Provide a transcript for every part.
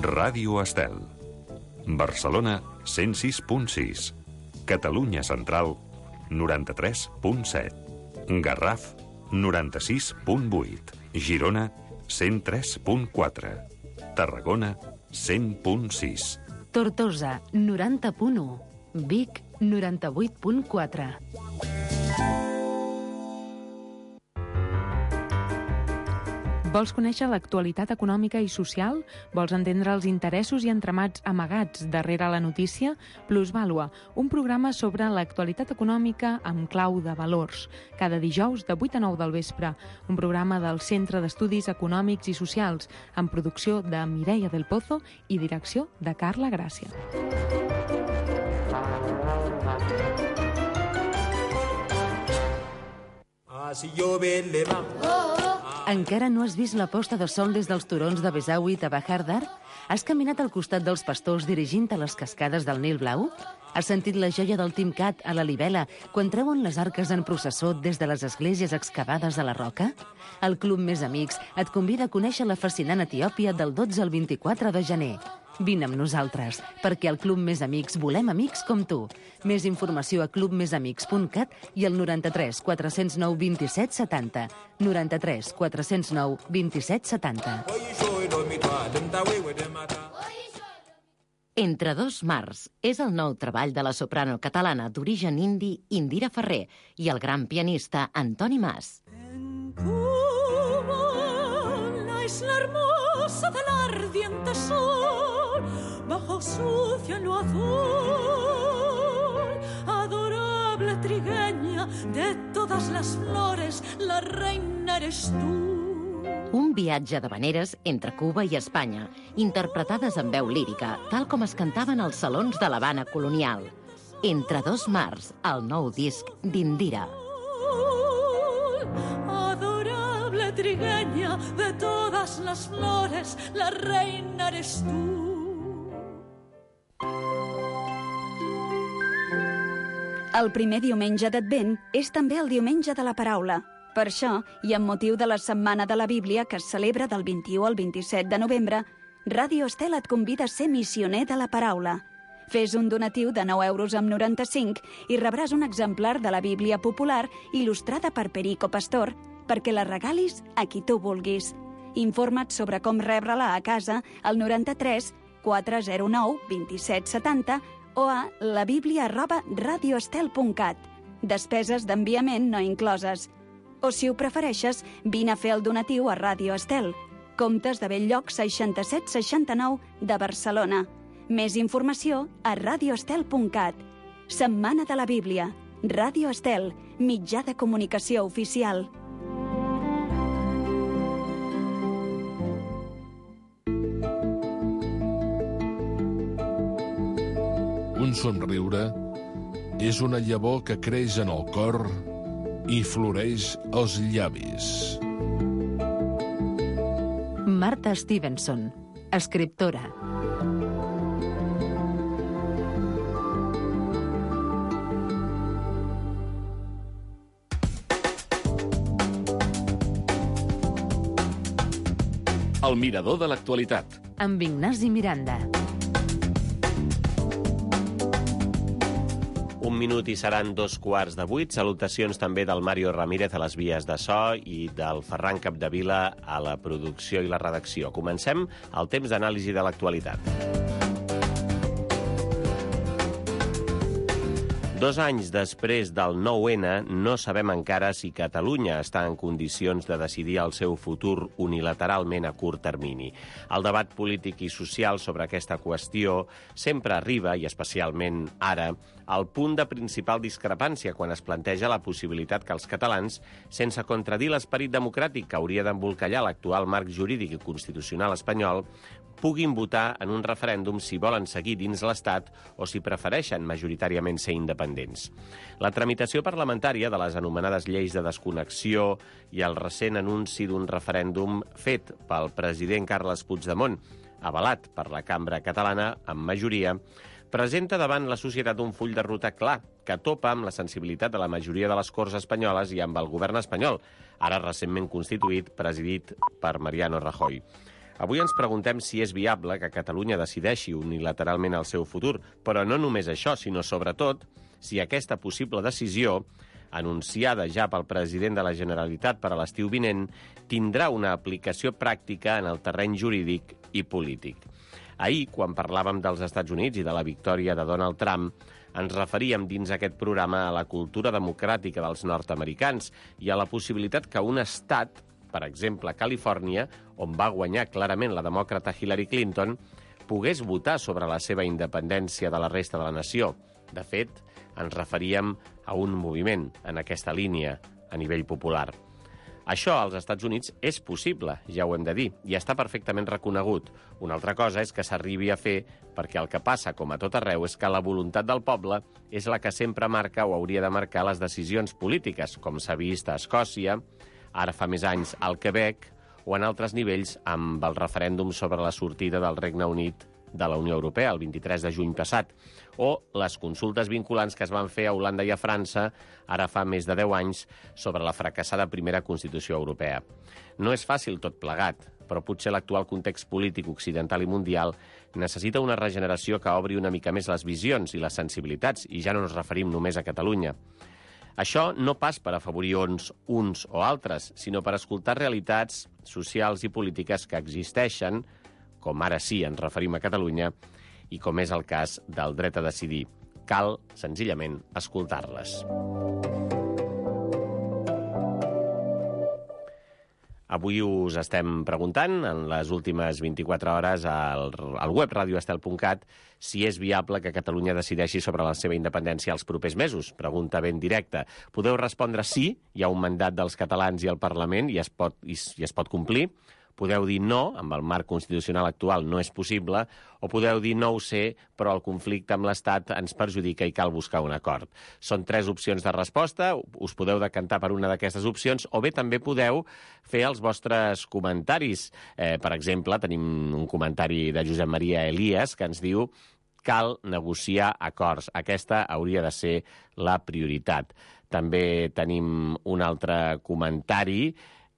Ràdio Estel. Barcelona 106.6. Catalunya Central 93.7. Garraf 96.8. Girona 103.4. Tarragona 100.6. Tortosa 90.1. Vic 98.4. Vols conèixer l'actualitat econòmica i social? Vols entendre els interessos i entramats amagats darrere la notícia? Plusvàlua, un programa sobre l'actualitat econòmica amb clau de valors. Cada dijous de 8 a 9 del vespre. Un programa del Centre d'Estudis Econòmics i Socials, amb producció de Mireia del Pozo i direcció de Carla Gràcia. Si llove le va... Encara no has vist la posta de sol des dels turons de Besaüit a Bahardar? Has caminat al costat dels pastors dirigint a les cascades del Nil Blau? Has sentit la joia del Timcat a la Libela quan treuen les arques en processó des de les esglésies excavades a la roca? El Club Més Amics et convida a conèixer la fascinant Etiòpia del 12 al 24 de gener. Vine amb nosaltres, perquè al Club Més Amics volem amics com tu. Més informació a clubmesamics.cat i al 93 409 27 70. 93 409 27 70. Entre dos mars és el nou treball de la soprano catalana d'origen indi Indira Ferrer i el gran pianista Antoni Mas. En Cuba, la isla hermosa del ardiente sol, bajo su cielo azul, adorable trigueña de todas las flores, la reina eres tú. Un viatge d'havaneres entre Cuba i Espanya, interpretades en veu lírica, tal com es cantaven als salons de l'Havana colonial. Entre dos mars, el nou disc d'Indira. Adorable trigueña de todas las flores, la reina eres tú. El primer diumenge d'Advent és també el diumenge de la paraula. Per això, i amb motiu de la Setmana de la Bíblia, que es celebra del 21 al 27 de novembre, Ràdio Estel et convida a ser missioner de la paraula. Fes un donatiu de 9,95 € i rebràs un exemplar de la Bíblia popular il·lustrada per Perico Pastor, perquè la regalis a qui tu vulguis. Informa't sobre com rebre-la a casa al 93 409 27 70 o a labiblia@radioestel.cat. Despeses d'enviament no incloses. O, si ho prefereixes, vine a fer el donatiu a Ràdio Estel, Comtes de Bell-lloc 6769 de Barcelona. Més informació a radioestel.cat. Setmana de la Bíblia. Ràdio Estel, mitjà de comunicació oficial. Un somriure és una llavor que creix en el cor i floreix als llavis. Marta Stevenson, escriptora. El mirador de l'actualitat. Amb Ignasi Miranda. Un minut i seran 7:15. Salutacions també del Mario Ramírez a les vies de so i del Ferran Capdevila a la producció i la redacció. Comencem el temps d'anàlisi de l'actualitat. 2 anys després del 9-N, no sabem encara si Catalunya està en condicions de decidir el seu futur unilateralment a curt termini. El debat polític i social sobre aquesta qüestió sempre arriba, i especialment ara, al punt de principal discrepància quan es planteja la possibilitat que els catalans, sense contradir l'esperit democràtic que hauria d'embolcallar l'actual marc jurídic i constitucional espanyol, puguin votar en un referèndum si volen seguir dins l'Estat o si prefereixen majoritàriament ser independents. La tramitació parlamentària de les anomenades lleis de desconnexió i el recent anunci d'un referèndum fet pel president Carles Puigdemont, avalat per la cambra catalana amb majoria, presenta davant la societat un full de ruta clar que topa amb la sensibilitat de la majoria de les Corts espanyoles i amb el govern espanyol, ara recentment constituït, presidit per Mariano Rajoy. Avui ens preguntem si és viable que Catalunya decideixi unilateralment el seu futur, però no només això, sinó sobretot si aquesta possible decisió, anunciada ja pel president de la Generalitat per a l'estiu vinent, tindrà una aplicació pràctica en el terreny jurídic i polític. Ahir, quan parlàvem dels Estats Units i de la victòria de Donald Trump, ens referíem dins aquest programa a la cultura democràtica dels nord-americans i a la possibilitat que un estat, per exemple Califòrnia, on va guanyar clarament la demòcrata Hillary Clinton, pogués votar sobre la seva independència de la resta de la nació. De fet, ens referíem a un moviment en aquesta línia a nivell popular. Això als Estats Units és possible, ja ho hem de dir, i està perfectament reconegut. Una altra cosa és que s'arribi a fer perquè el que passa, com a tot arreu, és que la voluntat del poble és la que sempre marca o hauria de marcar les decisions polítiques, com s'ha vist a Escòcia, ara fa més anys al Quebec, o en altres nivells amb el referèndum sobre la sortida del Regne Unit de la Unió Europea, el 23 de juny passat, o les consultes vinculants que es van fer a Holanda i a França ara fa més de 10 anys sobre la fracassada primera Constitució Europea. No és fàcil tot plegat, però potser l'actual context polític occidental i mundial necessita una regeneració que obri una mica més les visions i les sensibilitats, i ja no ens referim només a Catalunya. Això no pas per afavorir uns o altres, sinó per escoltar realitats socials i polítiques que existeixen, com ara sí ens referim a Catalunya, i com és el cas del dret a decidir. Cal, senzillament, escoltar-les. Avui us estem preguntant, en les últimes 24 hores, al web radioestel.cat, si és viable que Catalunya decideixi sobre la seva independència els propers mesos. Pregunta ben directa. Podeu respondre sí, hi ha un mandat dels catalans i el Parlament i es pot complir. Podeu dir no, amb el marc constitucional actual no és possible, o podeu dir no ho sé, però el conflicte amb l'Estat ens perjudica i cal buscar un acord. Són 3 opcions de resposta, us podeu decantar per una d'aquestes opcions, o bé també podeu fer els vostres comentaris. Per exemple, tenim un comentari de Josep Maria Elias que ens diu: cal negociar acords. Aquesta hauria de ser la prioritat. També tenim un altre comentari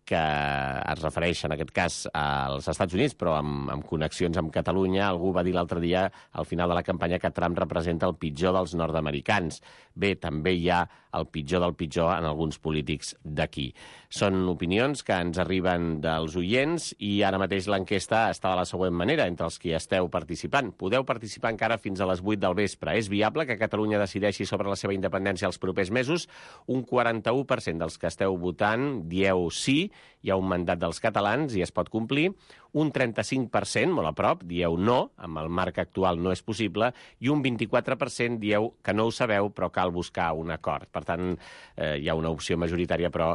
que es refereix, en aquest cas, als Estats Units, però amb connexions amb Catalunya. Algú va dir l'altre dia, al final de la campanya, que Trump representa el pitjor dels nord-americans. Bé, també hi ha el pitjor del pitjor en alguns polítics d'aquí. Són opinions que ens arriben dels oients i ara mateix l'enquesta està de la següent manera, entre els que esteu participant. Podeu participar encara fins a les 8 del vespre. És viable que Catalunya decideixi sobre la seva independència els propers mesos? Un 41% dels que esteu votant dieu sí, hi ha un mandat dels catalans i es pot complir. Un 35%, molt a prop, dieu no, amb el marc actual no és possible, i un 24% dieu que no ho sabeu, però cal buscar un acord. Per tant, hi ha una opció majoritària, però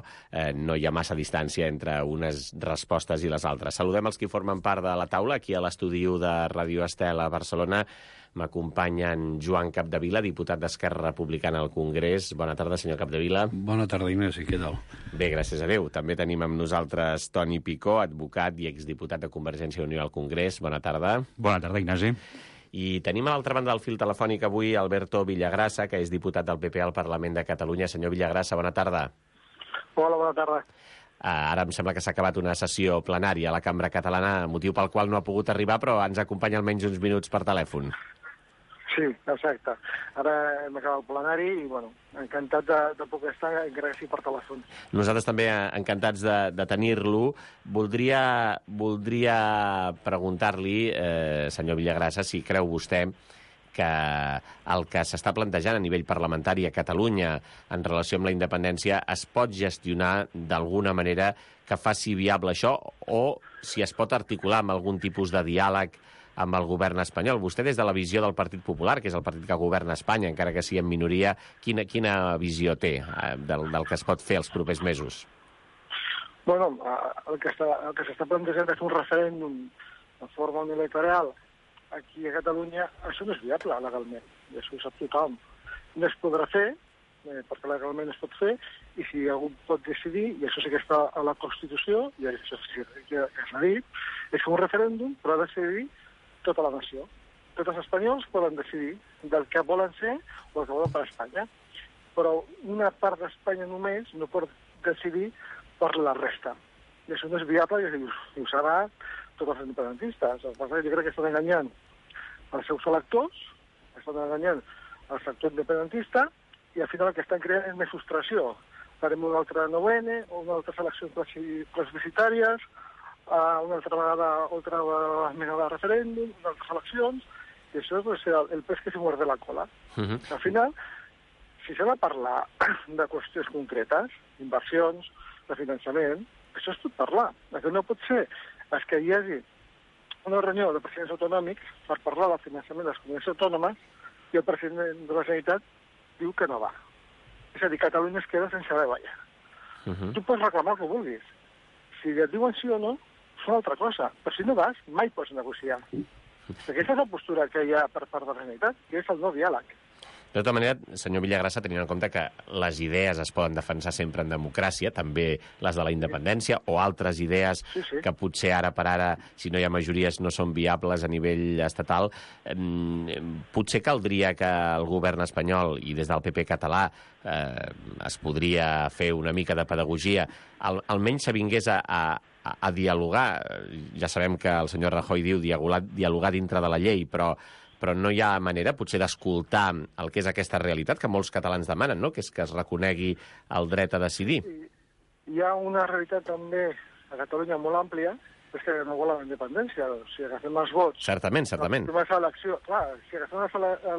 no hi ha massa distància entre unes respostes i les altres. Saludem els que formen part de la taula, aquí a l'estudi de Radio Estel a Barcelona. M'acompanya en Joan Capdevila, diputat d'Esquerra Republicana al Congrés. Bona tarda, senyor Capdevila. Bona tarda, Ignasi. Què tal? Bé, gràcies a Déu. També tenim amb nosaltres Toni Picó, advocat i exdiputat de Convergència i Unió al Congrés. Bona tarda. Bona tarda, Ignasi. I tenim a l'altra banda del fil telefònic avui Alberto Villagrasa, que és diputat del PP al Parlament de Catalunya. Senyor Villagrasa, bona tarda. Hola, bona tarda. Ara em sembla que s'ha acabat una sessió plenària a la Cambra Catalana, motiu pel qual no ha pogut arribar, però ens acompanya almenys uns minuts per telèfon. Sí, exacte. Ara hem acabat el plenari i, bueno, encantat de poder estar, encara que sí per telèfon. Nosaltres també encantats de tenir-lo. Voldria preguntar-li, senyor Villagrasa, si creu vostè que el que s'està plantejant a nivell parlamentari a Catalunya en relació amb la independència es pot gestionar d'alguna manera que faci viable això, o si es pot articular amb algun tipus de diàleg amb el govern espanyol. Vostè, des de la visió del Partit Popular, que és el partit que governa Espanya, encara que sigui en minoria, quina visió té del que es pot fer els propers mesos? Bueno, el que s'està plantejant és un referèndum de forma unilateral aquí a Catalunya. Això no és viable legalment, i això ho sap tothom. No es podrà fer, perquè legalment es pot fer, i si algú pot decidir, i això sí que està a la Constitució, i això sí que s'ha dit, és fer un referèndum, però ha de decidir tota la nació. Tots els espanyols poden decidir del que volen ser o el que volen per Espanya. Però una part d'Espanya només no pot decidir per la resta. I això no és viable, i ho serà tots els independentistes. Jo crec que estan enganyant els seus electors, estan enganyant el sector independentista, i al final el que estan creant és més frustració. Farem una altra 9N, una altra eleccions plebiscitàries, una altra vegada esmena de referèndum, unes altres eleccions, i això és el pes que se muerde la cola. Al final, si s'ha de parlar de qüestions concretes, inversions, de finançament, això es pot parlar. El que no pot ser és que hi hagi una reunió de presidents autonòmics per parlar del finançament de les comunitats autònomes i el president de la Generalitat diu que no va. És a dir, Catalunya es queda sense haver ballar. Tu pots reclamar el que vulguis. Si et diuen sí o no, és una altra cosa. Però si no vas, mai pots negociar. Aquesta és la postura que hi ha per part de la Generalitat, que és el no diàleg. De tota manera, senyor Villagrasa, tenint en compte que les idees es poden defensar sempre en democràcia, també les de la independència, o altres idees que potser ara per ara, si no hi ha majories, no són viables a nivell estatal, potser caldria que el govern espanyol i des del PP català es podria fer una mica de pedagogia, almenys s'avingués a dialogar. Ja sabem que el senyor Rajoy diu dialogar dintre de la llei, però no hi ha manera, potser, d'escoltar el que és aquesta realitat que molts catalans demanen, no? Que és que es reconegui el dret a decidir. Hi ha una realitat també a Catalunya molt àmplia, és que no volen la independència. Si agafem els vots... Certament. Si agafem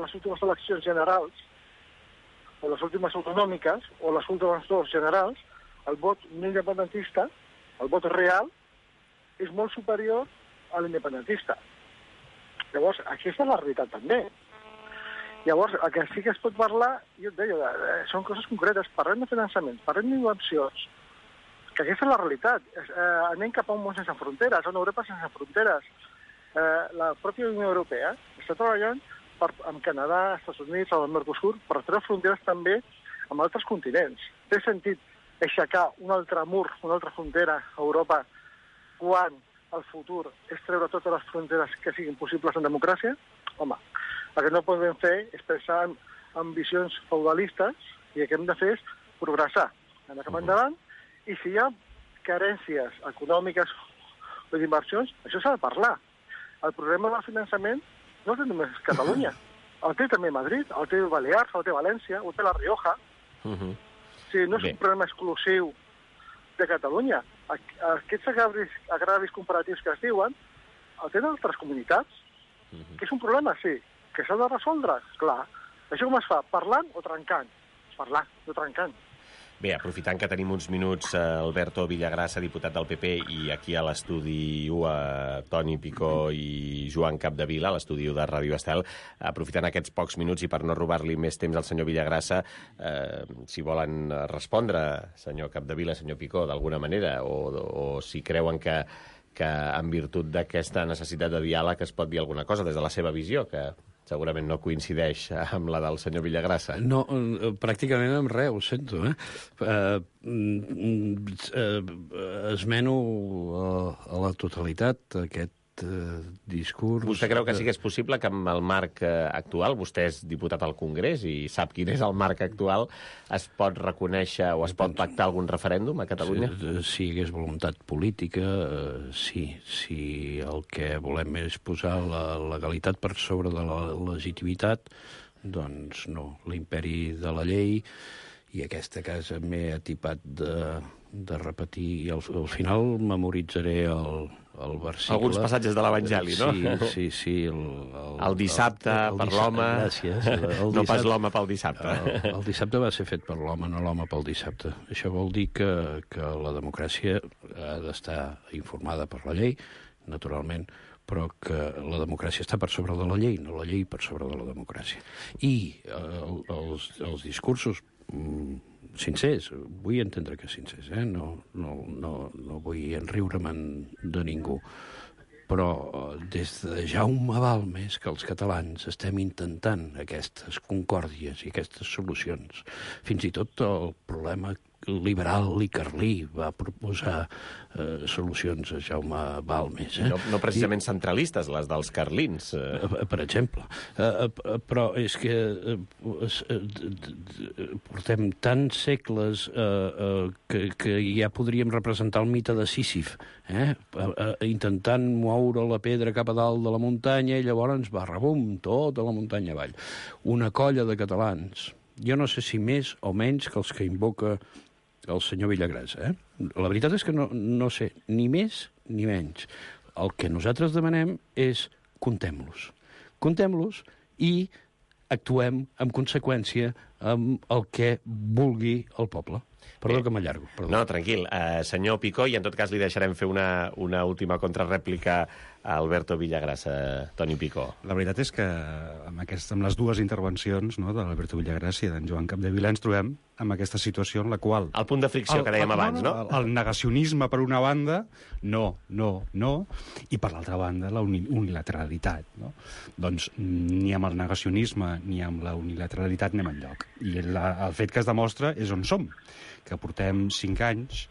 les últimes eleccions generals, o les últimes autonòmiques, o les últimes dues generals, el vot no independentista, el vot real, és molt superior a l'independentista. Llavors, aquesta és la realitat també. Llavors, el que sí que es pot parlar, jo et deia, són coses concretes. Parlem de finançament, parlem d'inversions, que aquesta és la realitat. Anem cap a un món sense fronteres, a una Europa sense fronteres. La pròpia Unió Europea està treballant amb Canadà, Estats Units, amb el Mercosur, per treure fronteres també amb altres continents. Té sentit aixecar un altre mur, una altra frontera a Europa quan el futur és treure totes les fronteres que siguin possibles en democràcia? Home, el que no podem fer és pensar en ambicions feudalistes i el que hem de fer és progressar, anar cap endavant, i si hi ha carències econòmiques o d'inversions, això s'ha de parlar. El problema del finançament no el té només Catalunya, el té també Madrid, el té Balears, el té València, el té La Rioja. O sigui, no és un problema exclusiu de Catalunya. Aquests agravis comparatius que es diuen el tenen altres comunitats, que és un problema, sí, que s'ha de resoldre, clar. Això com es fa? Parlant o trencant? Parlant, no trencant. Bé, aprofitant que tenim uns minuts, Alberto Villagrasa, diputat del PP, i aquí a l'estudi 1, Toni Picó i Joan Capdevila, a l'estudi 1 de Ràdio Estel, aprofitant aquests pocs minuts i per no robar-li més temps al senyor Villagrasa, si volen respondre, senyor Capdevila, senyor Picó, d'alguna manera, o si creuen que en virtut d'aquesta necessitat de diàleg es pot dir alguna cosa des de la seva visió, que segurament no coincideix amb la del senyor Villagrasa. No, pràcticament amb res, ho sento. Esmeno a la totalitat aquest discurs... Vostè creu que sí que és possible que amb el marc actual, vostè és diputat al Congrés i sap quin és el marc actual, es pot reconèixer o es pot pactar algun referèndum a Catalunya? Si hi hagués voluntat política, sí. Si el que volem és posar la legalitat per sobre de la legitimitat, doncs no. L'imperi de la llei, i aquesta casa m'he atipat de repetir, i al final memoritzaré el versicle. Alguns passatges de l'Evangeli, no? Sí. El dissabte per l'home, no pas l'home pel dissabte. El dissabte va ser fet per l'home, no l'home pel dissabte. Això vol dir que la democràcia ha d'estar informada per la llei, naturalment, però que la democràcia està per sobre de la llei, no la llei per sobre de la democràcia. I els discursos sincers, vull entendre que sincers, no vull enriure-me'n de ningú, però des de Jaume Balmes que els catalans estem intentant aquestes concòrdies i aquestes solucions. Fins i tot el problema liberal i carlí va proposar solucions a Jaume Balmes. No precisament centralistes, les dels carlins. Per exemple. Però és que portem tants segles que ja podríem representar el mite de Sísif, intentant moure la pedra cap a dalt de la muntanya i llavors va rebum tota la muntanya avall. Una colla de catalans, jo no sé si més o menys que els que invoca el senyor Villagrasa. La veritat és que no sé ni més ni menys. El que nosaltres demanem és comptem-los. Comptem-los i actuem en conseqüència amb el que vulgui el poble. Perdó que m'allargo. No, tranquil. Senyor Picó, i en tot cas li deixarem fer una última contrarèplica a Alberto Villagrasa. Toni Picó. La veritat és que amb les dues intervencions, no, de l'Alberto Villagrasa i d'en Joan Capdevila ens trobem amb aquesta situació en la qual... El punt de fricció que dèiem abans, no? El negacionisme per una banda, no, i per l'altra banda la unilateralitat, no? Doncs ni amb el negacionisme ni amb la unilateralitat anem enlloc. I el fet que es demostra és on som, que portem 5 anys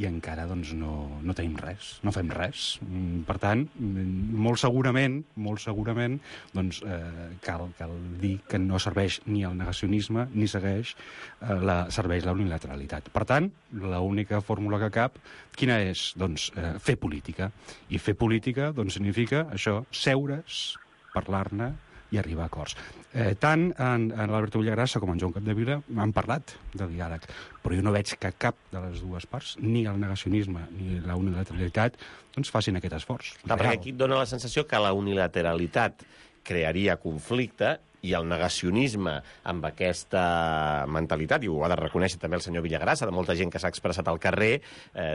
i encara doncs, no tenim res, no fem res. Per tant, molt segurament doncs, cal dir que no serveix ni el negacionisme ni serveix la unilateralitat. Per tant, l'única fórmula que cap, quina és? Doncs fer política. I fer política doncs, significa això, seure's, parlar-ne i arribar a acords. Tant en l'Alberto Villagrasa com en Joan Capdevila han parlat de diàleg, però jo no veig que cap de les dues parts, ni el negacionisme ni la unilateralitat, doncs facin aquest esforç. Perquè aquí et dona la sensació que la unilateralitat crearia conflicte i el negacionisme amb aquesta mentalitat, i ho ha de reconèixer també el senyor Villagrasa, de molta gent que s'ha expressat al carrer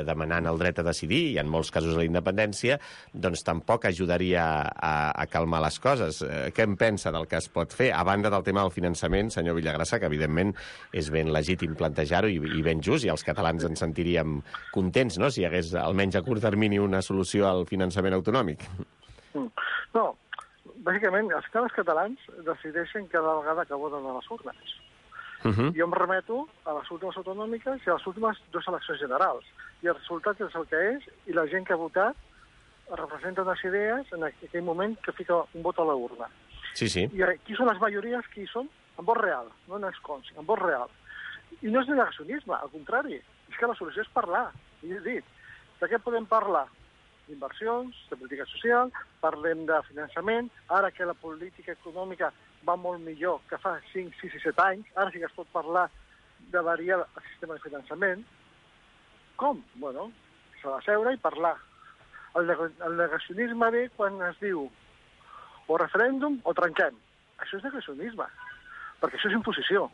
demanant el dret a decidir, i en molts casos a la independència, doncs tampoc ajudaria a calmar les coses. Què en pensa del que es pot fer? A banda del tema del finançament, senyor Villagrasa, que evidentment és ben legítim plantejar-ho i ben just, i els catalans ens sentiríem contents, no?, si hi hagués almenys a curt termini una solució al finançament autonòmic. No, bàsicament, els catalans decideixen cada vegada que voten a les urnes. Jo em remeto a les últimes autonòmiques i a les últimes 2 eleccions generals. I el resultat és el que és, i la gent que ha votat representa unes idees en aquell moment que fica un vot a la urna. Sí. I qui són les majories? Qui són? En vot real, no en escons, en vot real. I no és negacionisme, al contrari. És que la solució és parlar. I he dit, de què podem parlar? D'inversions, de política social, parlem de finançament, ara que la política econòmica va molt millor que fa 5, 6 i 7 anys, ara sí que es pot parlar de variar el sistema de finançament. Com? Bueno, s'ha de seure i parlar. El negacionisme ve quan es diu o referèndum o trenquem. Això és negacionisme, perquè això és imposició.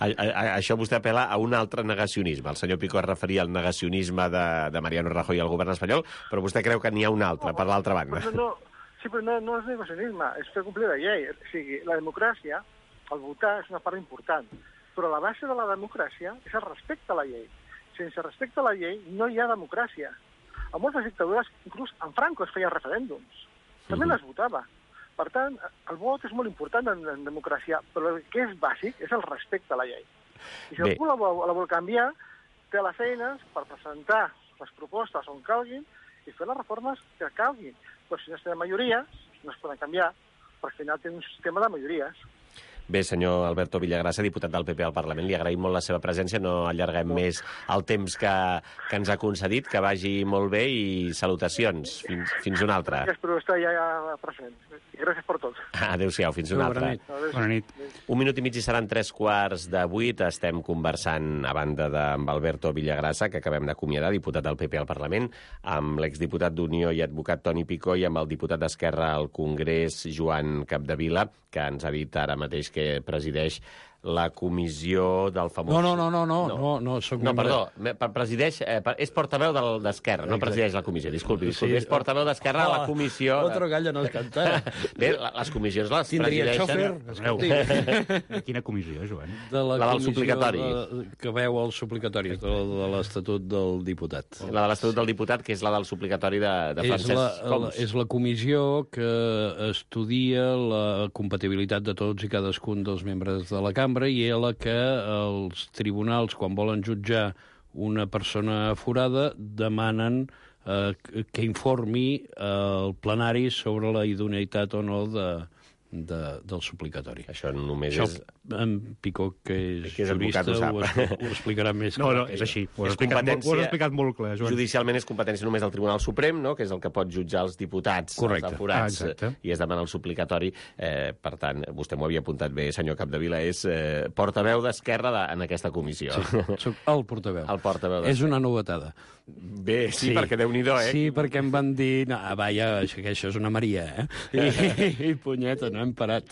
Això vostè apel·la a un altre negacionisme. El senyor Picó es referia al negacionisme de Mariano Rajoy al govern espanyol, però vostè creu que n'hi ha un altre, per l'altra banda. Sí, però no és negacionisme, és fer complir la llei. O sigui, la democràcia, el votar, és una part important, però la base de la democràcia és el respecte a la llei. Sense respecte a la llei no hi ha democràcia. A moltes dictadures, inclús en Franco es feien referèndums. També les votava. Per tant, el vot és molt important en democràcia, però el que és bàsic és el respecte a la llei. I si algú la vol canviar, té les eines per presentar les propostes on calguin i fer les reformes que calguin. Però si no es tenen majories, no es poden canviar, perquè al final té un sistema de majories. Bé, senyor Alberto Villagrasa, diputat del PP al Parlament, li agraïm molt la seva presència, no allarguem més el temps que ens ha concedit, que vagi molt bé i salutacions. Fins una altra. Gràcies per estar ja present. I gràcies per tot. Adéu-siau, fins una altra. Bona nit. 1 minut i mig i seran 7:45. Estem conversant, a banda d'amb Alberto Villagrasa, que acabem d'acomiadar, diputat del PP al Parlament, amb l'exdiputat d'Unió i advocat Toni Picó i amb el diputat d'Esquerra al Congrés, Joan Capdevila, que ens ha dit ara mateix que presideix la comissió del famós... No, soc membre... Perdó, presideix... és portaveu d'Esquerra, no presideix la comissió, disculpi. És portaveu d'Esquerra a la comissió... Otro gallo no es canta. Bé, les comissions les presideixen... Quina comissió, Joan? La del suplicatori. Que veu el suplicatori, de l'Estatut del Diputat. La de l'Estatut del Diputat, que és la del suplicatori de Francesc Homs. És la comissió que estudia la compatibilitat de tots i cadascun dels membres de la cambra cambra i és la que els tribunals, quan volen jutjar una persona forada, demanen que informi el plenari sobre la idoneïtat o no del suplicatori. Això només és... En Picó, que és jurista, ho explicarà més. No, és així. Ho has explicat molt clar, Joan. Judicialment és competència només del Tribunal Suprem, no?, que és el que pot jutjar els diputats, els aforats, i es demana el suplicatori. Per tant, vostè m'ho havia apuntat bé, senyor Capdevila, és portaveu d'Esquerra en aquesta comissió. Sí, soc el portaveu. El portaveu. És una novetada. Bé, sí, perquè Déu-n'hi-do, Sí, perquè em van dir, no, vaja, que això és una Maria, I punyeta, no hem parat.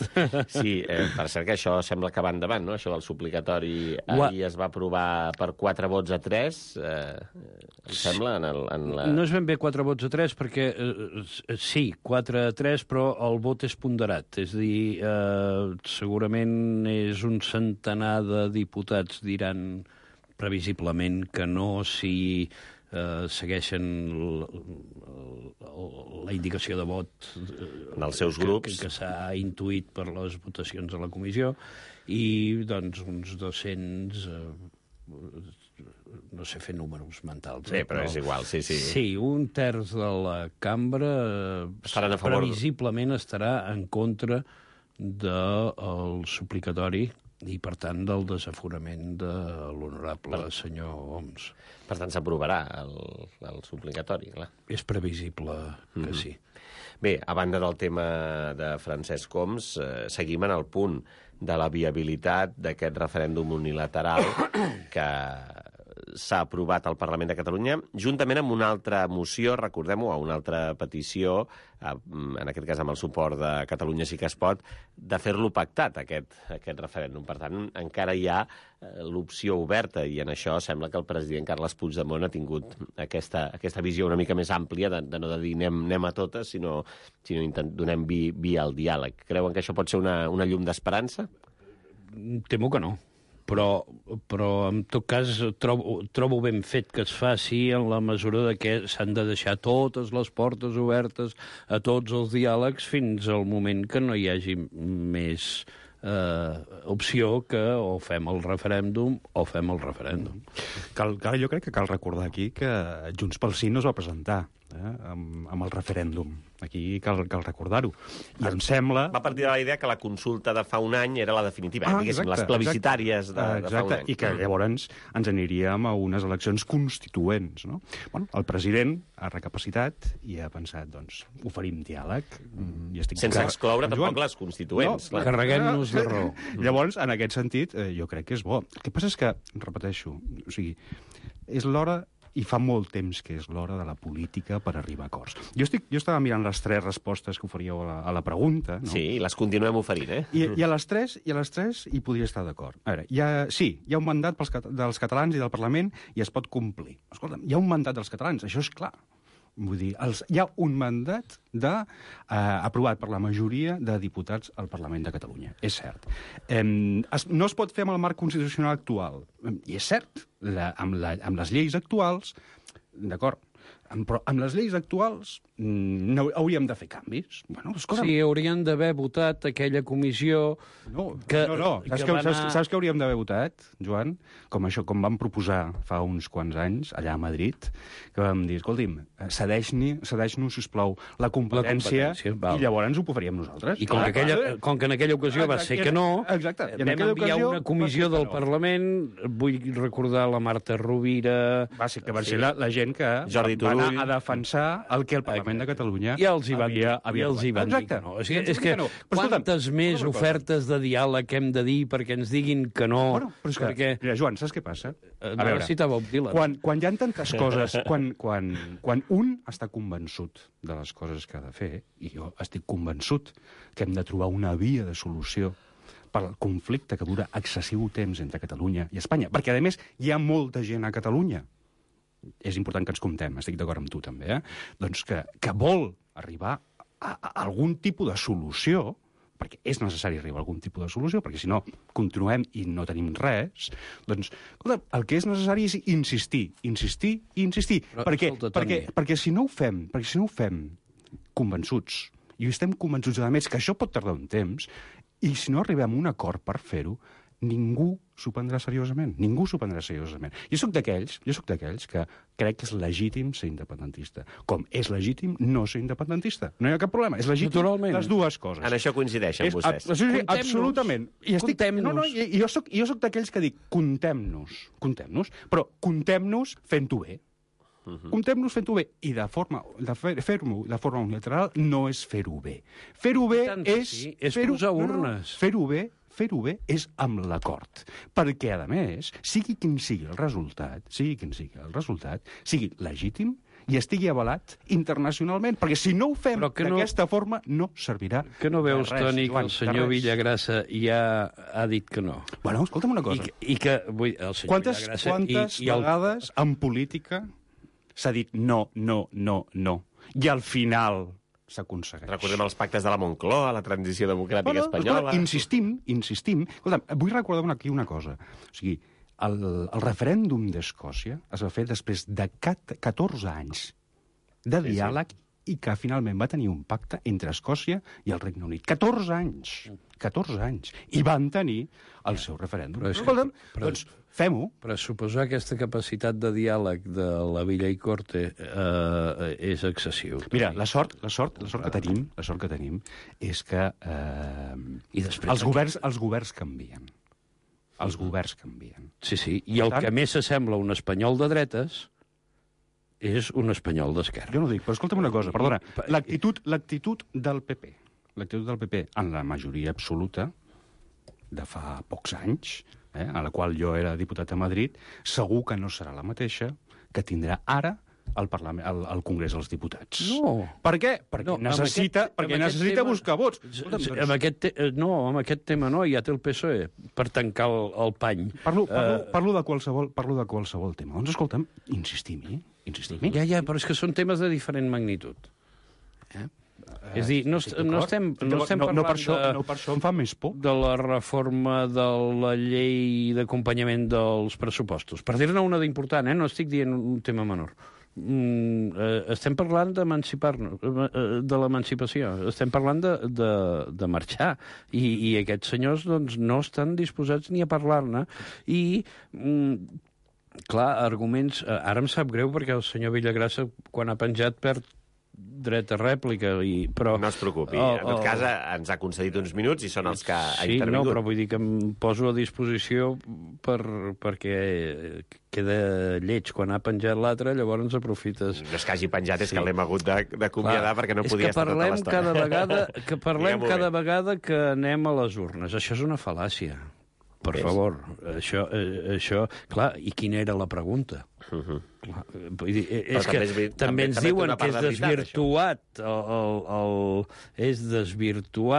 Sí, per cert que això sembla que va endavant, no?, això del suplicatori. Ahir es va aprovar per 4 vots a 3, em sembla, en la... No és ben bé 4 vots a 3, perquè sí, 4 a 3, però el vot és ponderat. És a dir, segurament és un centenar de diputats diran previsiblement que no si segueixen la indicació de vot dels seus grups que s'ha intuït per les votacions a la comissió, i doncs uns 200 no sé fer números mentals. Sí, però és igual, sí. Sí, un terç de la cambra previsiblement estarà en contra del suplicatori i, per tant, del desaforament de l'honorable senyor Homs. Per tant, s'aprovarà el suplicatori, clar. És previsible que sí. Bé, a banda del tema de Francesc Homs, seguim en el punt de la viabilitat d'aquest referèndum unilateral que s'ha aprovat al Parlament de Catalunya, juntament amb una altra moció, recordem-ho, a una altra petició, en aquest cas amb el suport de Catalunya Sí que es pot, de fer-lo pactat, aquest referèndum. Per tant, encara hi ha l'opció oberta, i en això sembla que el president Carles Puigdemont ha tingut aquesta visió una mica més àmplia, de no dir anem a totes, sinó donem via al diàleg. Creuen que això pot ser una llum d'esperança? Temo que no. Però en tot cas trobo ben fet que es faci en la mesura de que s'han de deixar totes les portes obertes a tots els diàlegs fins al moment que no hi hagi més opció que o fem el referèndum o fem el referèndum. Jo crec que cal recordar aquí que Junts pel Sí no es va presentar amb el referèndum. Aquí cal recordar-ho. I em sembla... Va partir de la idea que la consulta de fa un any era la definitiva, diguéssim, les plebiscitàries de fa un any. I que llavors ens aniríem a unes eleccions constituents, no? Bueno, el president ha recapacitat i ha pensat, doncs, oferim diàleg. Sense excloure tampoc les constituents. No, carreguem-nos de raó. Llavors, en aquest sentit, jo crec que és bo. El que passa és que, repeteixo, o sigui, és l'hora i fa molt temps que és l'hora de la política per arribar a acords. Jo estava mirant les 3 respostes que oferíeu a la pregunta. No? Sí, les continuem oferint, I a les 3 hi podria estar d'acord. A veure, hi ha un mandat dels catalans i del Parlament i es pot complir. Escolta'm, hi ha un mandat dels catalans, això és clar. Vull dir, hi ha un mandat aprovat per la majoria de diputats al Parlament de Catalunya. És cert. No es pot fer amb el marc constitucional actual. I és cert, amb les lleis actuals, d'acord, però amb les lleis actuals no hauríem de fer canvis. Bueno, sí, haurien d'haver votat aquella comissió que... No. Saps què hauríem d'haver votat, Joan? Com vam proposar fa uns quants anys, allà a Madrid, que vam dir, escolti'm, cedeix-nos, sisplau, la competència i llavors ho faríem nosaltres. I com que en aquella ocasió va ser que no, vam enviar una comissió del Parlament, vull recordar la Marta Rovira... Va ser la gent que va anar a defensar el que el Parlament de Catalunya ja els hi van dir que no. És que quantes més ofertes de diàleg hem de dir perquè ens diguin que no? Mira, Joan, saps què passa? A veure, quan hi ha tantes coses, quan un està convençut de les coses que ha de fer, i jo estic convençut que hem de trobar una via de solució pel conflicte que dura excessiu temps entre Catalunya i Espanya, perquè, a més, hi ha molta gent a Catalunya. És important que ens comptem, estic d'acord amb tu també, doncs que vol arribar a algun tipus de solució, perquè és necessari arribar a algun tipus de solució, perquè si no continuem i no tenim res, doncs, escolta, el que és necessari és insistir. Perquè si no ho fem convençuts, i estem convençuts, a més, que això pot tardar un temps, i si no arribem a un acord per fer-ho, ningú s'ho prendrà seriosament. Ningú s'ho prendrà seriosament. Jo sóc d'aquells que crec que és legítim ser independentista. Com és legítim no ser independentista. No hi ha cap problema. És legítim Naturalment. les dues coses. En això coincideixen vostès. Absolutament. Jo soc d'aquells que dic, contem-nos, però contem-nos fent-ho bé. Contem-nos fent-ho bé. I fer-ho de forma unilateral no és fer-ho bé. Fer-ho bé és posar urnes. Fer-ho bé és amb l'acord. Perquè, a més, sigui quin sigui el resultat, sigui legítim i estigui avalat internacionalment. Perquè si no ho fem d'aquesta forma, no servirà de res. Que no veus, Toni, que el senyor Villagrasa ja ha dit que no? Bueno, escolta'm una cosa. I que el senyor Villagrasa... Quantes vegades en política s'ha dit no, i al final s'aconsegueix. Recordem els pactes de la Moncloa, la transició democràtica espanyola... Insistim. Escolta'm, vull recordar aquí una cosa. O sigui, el referèndum d'Escòcia es va fer després de 14 anys de diàleg i que finalment va tenir un pacte entre Escòcia i el Regne Unit. 14 anys. I van tenir el seu referèndum. Escolta'm, doncs fem-ho. Però suposar aquesta capacitat de diàleg de la Villa i Corte és excessiu. Mira, la sort que tenim és que els governs canvien. Els governs canvien. Sí, i el que més s'assembla a un espanyol de dretes és un espanyol d'esquerra. Jo no ho dic, però escolta'm una cosa, perdona. L'actitud del PP, en la majoria absoluta, de fa pocs anys, a la qual jo era diputat a Madrid, segur que no serà la mateixa que tindrà ara al Congrés dels Diputats. No. Per què? Perquè necessita buscar vots. Amb aquest tema no, ja té el PSOE per tancar el pany. Parlo de qualsevol tema. Doncs escolta'm, insistim-hi. Ja, però és que són temes de diferent magnitud. És a dir, no estem parlant no per això em fa més por. De la reforma de la llei d'acompanyament dels pressupostos. Per dir-ne una d'important, no estic dient un tema menor. Estem parlant d'emancipar-nos, de l'emancipació. Estem parlant de marxar. I aquests senyors doncs, no estan disposats ni a parlar-ne. I... clar, arguments... Ara em sap greu perquè el senyor Villagrasa, quan ha penjat, perd dret a rèplica. Però... No es preocupi. En tot cas, ens ha concedit uns minuts i són els que ha intervingut. Sí, però vull dir que em poso a disposició perquè queda lleig. Quan ha penjat l'altre, llavors aprofites... No és que hagi penjat, és que l'hem hagut d'acomiadar perquè no podia estar tota l'estona. Que parlem cada vegada que anem a les urnes. Això és una fal·làcia. Per favor, això... Clar, i quina era la pregunta? És que també ens diuen que és desvirtuat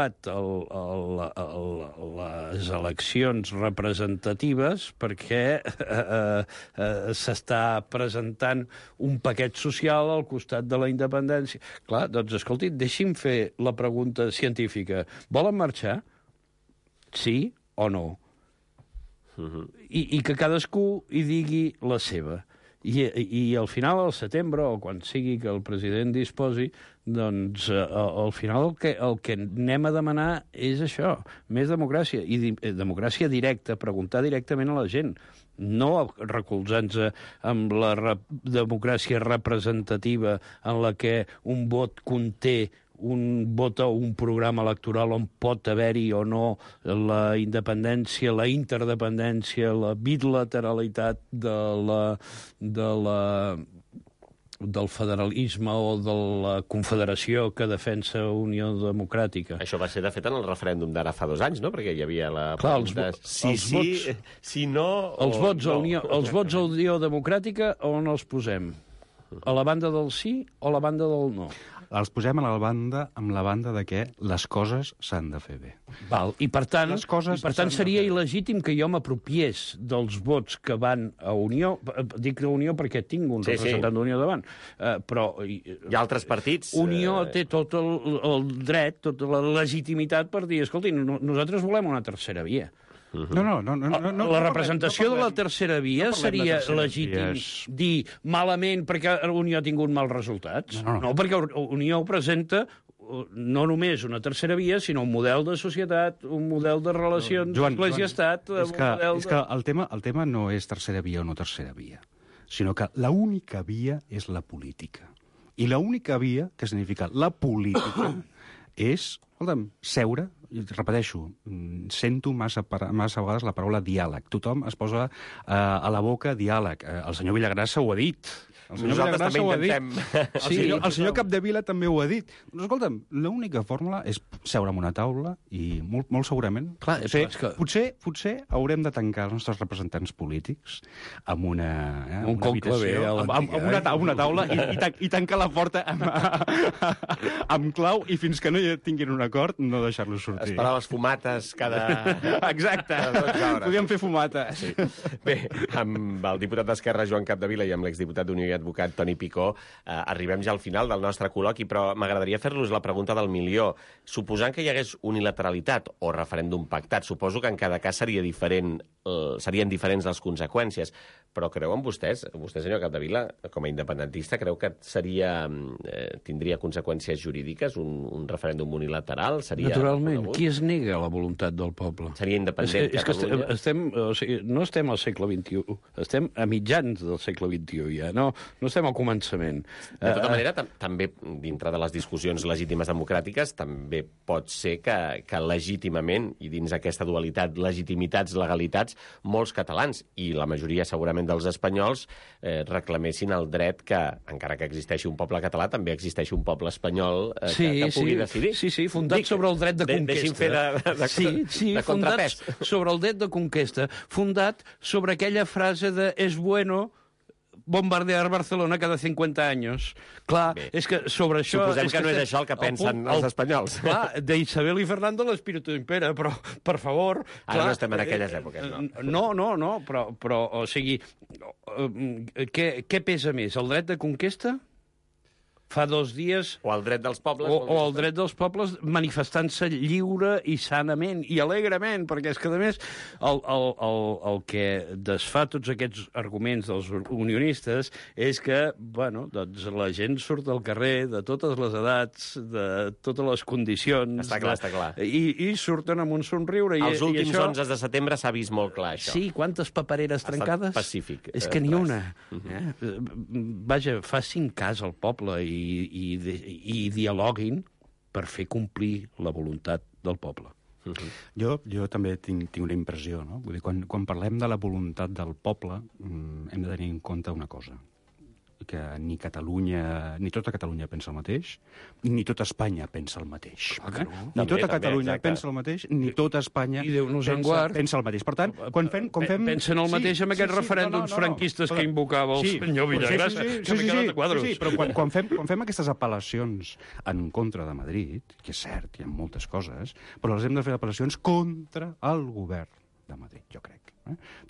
les eleccions representatives perquè s'està presentant un paquet social al costat de la independència. Clar, doncs, escolti, deixi'm fer la pregunta científica. Volen marxar? Sí o no? I que cadascú hi digui la seva. I al final, al setembre, o quan sigui que el president disposi, doncs al final el que anem a demanar és això, més democràcia. I democràcia directa, preguntar directament a la gent, no recolzant-se amb la democràcia representativa en la que un vot conté un vot o un programa electoral on pot haver-hi o no la independència, la interdependència, la bilateralitat del federalisme o de la confederació que defensa Unió Democràtica. Això va ser, de fet, en el referèndum d'ara fa 2 anys, no? Perquè hi havia la pregunta si no els vots a Unió Democràtica on els posem? A la banda del sí o a la banda del no? Els posem amb la banda de que les coses s'han de fer bé. I per tant seria il·legítim que jo m'apropiés dels vots que van a Unió. Dic a Unió perquè tinc un representant d'Unió davant. Però hi ha altres partits. Unió té tot el dret, tota la legitimitat per dir, escolti, nosaltres volem una tercera via. La representació de la tercera via seria legítim dir malament perquè Unió ha tingut mals resultats? No, perquè Unió presenta no només una tercera via, sinó un model de societat, un model de relacions Església-Estat... És que el tema no és tercera via o no tercera via, sinó que l'única via és la política. I l'única via, que significa la política, és, escolta'm, seure, i repeteixo, sento massa vegades la paraula diàleg. Tothom es posa a la boca diàleg. El senyor Villagrasa ho ha dit. Nosaltres també intentem. El senyor Capdevila també ho ha dit. Doncs, escolta'm, l'única fórmula és seure en una taula i molt segurament... Clar, potser haurem de tancar els nostres representants polítics amb una conclave, amb una taula i tancar la porta amb clau i fins que no tinguin un acord no deixar-los sortir. Esperar les fumates cada... Exacte. Podríem fer fumata. Sí. Bé, amb el diputat d'Esquerra, Joan Capdevila, i amb l'exdiputat d'Unió i advocat Toni Picó, arribem ja al final del nostre col·loqui, però m'agradaria fer-los la pregunta del milió. Suposant que hi hagués unilateralitat o referèndum pactat, suposo que en cada cas serien diferents les conseqüències, però creuen vostè, senyor Capdevila, com a independentista, creu que tindria conseqüències jurídiques un referèndum unilateral? Naturalment, qui es nega a la voluntat del poble? Seria independent Catalunya? No estem al segle XXI, estem a mitjans del segle XXI ja, no estem al començament. De tota manera, també, dintre de les discussions legítimes democràtiques, també pot ser que legítimament, i dins aquesta dualitat, legitimitats, legalitats, molts catalans, i la majoria segurament dels espanyols, reclamessin el dret que, encara que existeixi un poble català, també existeixi un poble espanyol que pugui decidir. Sí, fundat sobre el dret de conquesta. Deixi'm fer de contrapès. Fundat sobre el dret de conquesta, fundat sobre aquella frase de «es bueno bombardear Barcelona cada 50 anys». Clar, és que sobre això... Suposem que no és això el que pensen els espanyols. Clar, d'Isabel i Fernando l'espíritu impera, però, per favor... Ara no estem en aquelles èpoques, no? No, però o sigui, què pesa més, el dret de conquesta? Fa 2 dies... O el dret dels pobles. O el dret dels pobles manifestant-se lliure i sanament i alegrement, perquè és que, a més, el que desfà tots aquests arguments dels unionistes és que, bueno, doncs la gent surt al carrer de totes les edats, de totes les condicions... Està clar. I surten amb un somriure. Els últims 11 de setembre s'ha vist molt clar, això. Sí, quantes papereres trencades? Pacífic. És que ni una. Vaja, facin cas al poble i dialoguin per fer complir la voluntat del poble. Jo també tinc una impressió, no? Vull dir, quan parlem de la voluntat del poble, hem de tenir en compte una cosa, que ni tota Catalunya pensa el mateix, ni tota Espanya pensa el mateix. Ni tota Catalunya pensa el mateix, ni tota Espanya pensa el mateix. Per tant, quan fem... Pensen el mateix amb aquests referèndums franquistes que invocava el senyor Villagrasa, que m'he quedat a quadros. Sí, però quan fem aquestes apel·lacions en contra de Madrid, que és cert, hi ha moltes coses, però les hem de fer apel·lacions contra el govern de Madrid, jo crec.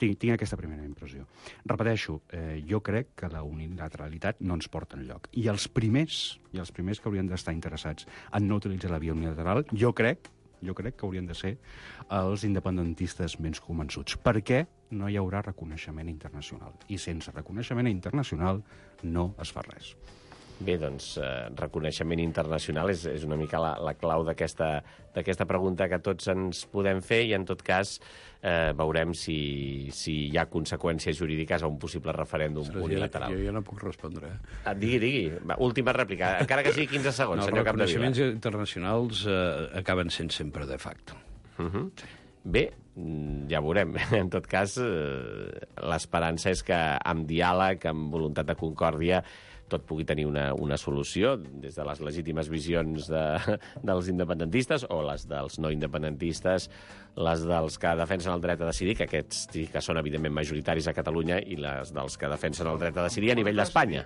Tinc aquesta primera impressió. Repeteixo, jo crec que la unilateralitat no ens porta enlloc. I els primers que haurien d'estar interessats en no utilitzar la via unilateral, jo crec que haurien de ser els independentistes menys convençuts. Perquè no hi haurà reconeixement internacional. I sense reconeixement internacional no es fa res. Bé, doncs, reconeixement internacional és una mica la clau d'aquesta pregunta que tots ens podem fer, i en tot cas veurem si hi ha conseqüències jurídiques a un possible referèndum unilateral. Jo ja no puc respondre. Digui. Última rèplica, encara que sigui 15 segons, senyor Capdevila. Els reconeixements internacionals acaben sent sempre de facto. Bé, ja veurem. En tot cas, l'esperança és que amb diàleg, amb voluntat de concòrdia, tot pugui tenir una solució, des de les legítimes visions dels independentistes o les dels no independentistes, les dels que defensen el dret a decidir, que aquests sí que són evidentment majoritaris a Catalunya, i les dels que defensen el dret a decidir a nivell d'Espanya.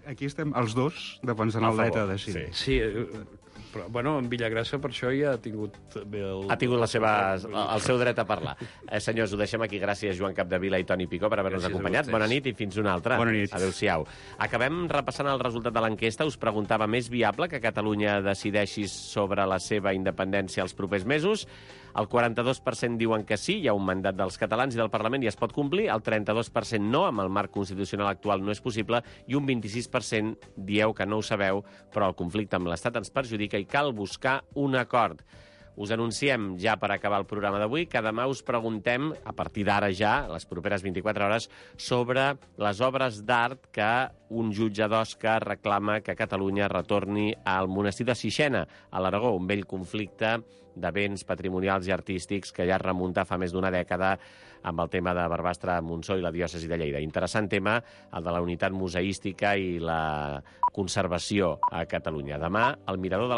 Aquí estem els dos defensant el dret a decidir. Sí, però, bueno, en Villagrasa per això ja ha tingut bé Ha tingut el seu dret a parlar. Senyors, ho deixem aquí. Gràcies, Joan Capdevila i Toni Picó, per haver-nos acompanyat. Bona nit i fins una altra. Bona nit. Adéu-siau. Acabem repassant el resultat de l'enquesta, us preguntava més viable que Catalunya decideixi sobre la seva independència els propers mesos. El 42% diuen que sí, hi ha un mandat dels catalans i del Parlament i es pot complir. El 32% no, amb el marc constitucional actual no és possible. I un 26% dieu que no ho sabeu, però el conflicte amb l'Estat ens perjudica i cal buscar un acord. Us anunciem ja per acabar el programa d'avui que demà us preguntem, a partir d'ara ja, les properes 24 hores, sobre les obres d'art que un jutge d'Osca reclama que Catalunya retorni al monestir de Sixena, a l'Aragó, un vell conflicte de béns patrimonials i artístics que ja es remunta fa més d'una dècada amb el tema de Barbastre, Montsó i la diòcesi de Lleida. Interessant tema, el de la unitat museística i la conservació a Catalunya. Demà, el Mirador de